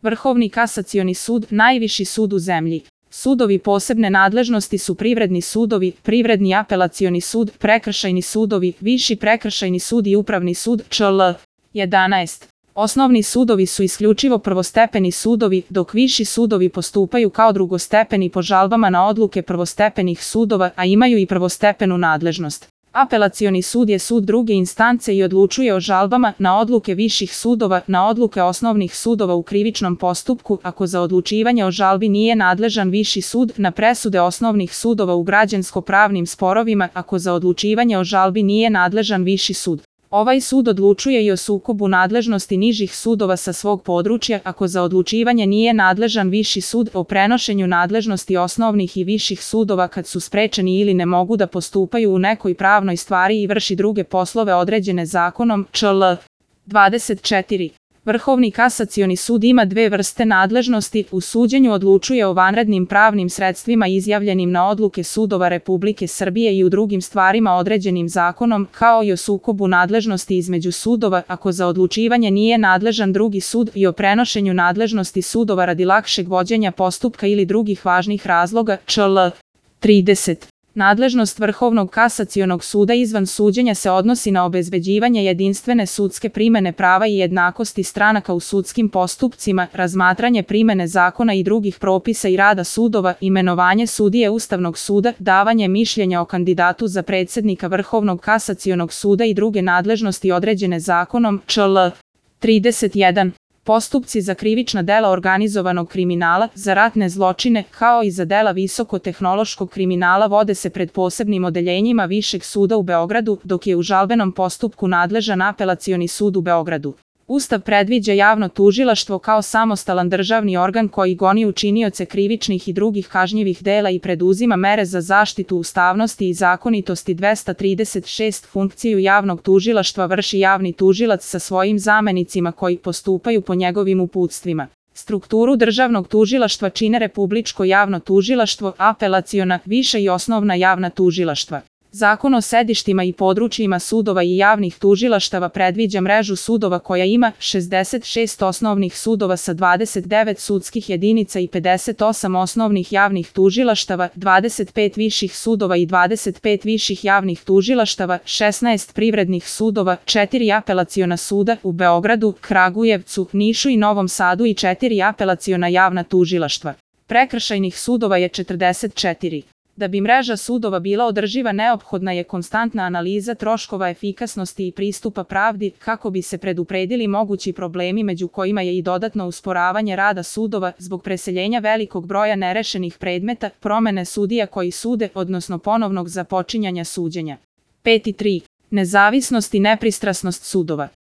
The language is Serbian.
Vrhovni kasacioni sud, najviši sud u zemlji. Sudovi posebne nadležnosti su privredni sudovi, privredni apelacioni sud, prekršajni sudovi, viši prekršajni sud i upravni sud, čl. 11. Osnovni sudovi su isključivo prvostepeni sudovi, dok viši sudovi postupaju kao drugostepeni po žalbama na odluke prvostepenih sudova, a imaju i prvostepenu nadležnost. Apelacioni sud je sud druge instance i odlučuje o žalbama na odluke viših sudova, na odluke osnovnih sudova u krivičnom postupku, ako za odlučivanje o žalbi nije nadležan viši sud, na presude osnovnih sudova u građansko-pravnim sporovima, ako za odlučivanje o žalbi nije nadležan viši sud. Ovaj sud odlučuje i o sukobu nadležnosti nižih sudova sa svog područja, ako za odlučivanje nije nadležan viši sud, o prenošenju nadležnosti osnovnih i viših sudova kad su sprečeni ili ne mogu da postupaju u nekoj pravnoj stvari i vrši druge poslove određene zakonom, čl. 24. Vrhovni kasacioni sud ima dve vrste nadležnosti, u suđenju odlučuje o vanrednim pravnim sredstvima izjavljenim na odluke sudova Republike Srbije i u drugim stvarima određenim zakonom, kao i o sukobu nadležnosti između sudova, ako za odlučivanje nije nadležan drugi sud, i o prenošenju nadležnosti sudova radi lakšeg vođenja postupka ili drugih važnih razloga, čl. 30. Nadležnost Vrhovnog kasacionog suda izvan suđenja se odnosi na obezbeđivanje jedinstvene sudske primene prava i jednakosti stranaka u sudskim postupcima, razmatranje primene zakona i drugih propisa i rada sudova, imenovanje sudije Ustavnog suda, davanje mišljenja o kandidatu za predsednika Vrhovnog kasacionog suda i druge nadležnosti određene zakonom, čl. 31. Postupci za krivična dela organizovanog kriminala, za ratne zločine, kao i za dela visokotehnološkog kriminala vode se pred posebnim odeljenjima Višeg suda u Beogradu, dok je u žalbenom postupku nadležan Apelacioni sud u Beogradu. Ustav predviđa javno tužilaštvo kao samostalan državni organ koji goni učinioce krivičnih i drugih kažnjivih dela i preduzima mere za zaštitu ustavnosti i zakonitosti. 236 Funkciju javnog tužilaštva vrši javni tužilac sa svojim zamenicima koji postupaju po njegovim uputstvima. Strukturu državnog tužilaštva čine Republičko javno tužilaštvo, apelaciona, viša i osnovna javna tužilaštva. Zakon o sedištima i područjima sudova i javnih tužilaštava predviđa mrežu sudova koja ima 66 osnovnih sudova sa 29 sudskih jedinica i 58 osnovnih javnih tužilaštava, 25 viših sudova i 25 viših javnih tužilaštava, 16 privrednih sudova, 4 apelaciona suda u Beogradu, Kragujevcu, Nišu i Novom Sadu i 4 apelaciona javna tužilaštva. Prekršajnih sudova je 44. Da bi mreža sudova bila održiva, neophodna je konstantna analiza troškova, efikasnosti i pristupa pravdi, kako bi se predupredili mogući problemi, među kojima je i dodatno usporavanje rada sudova zbog preseljenja velikog broja nerešenih predmeta, promene sudija koji sude, odnosno ponovnog započinjanja suđenja. 5.3. Nezavisnost i nepristrasnost sudova.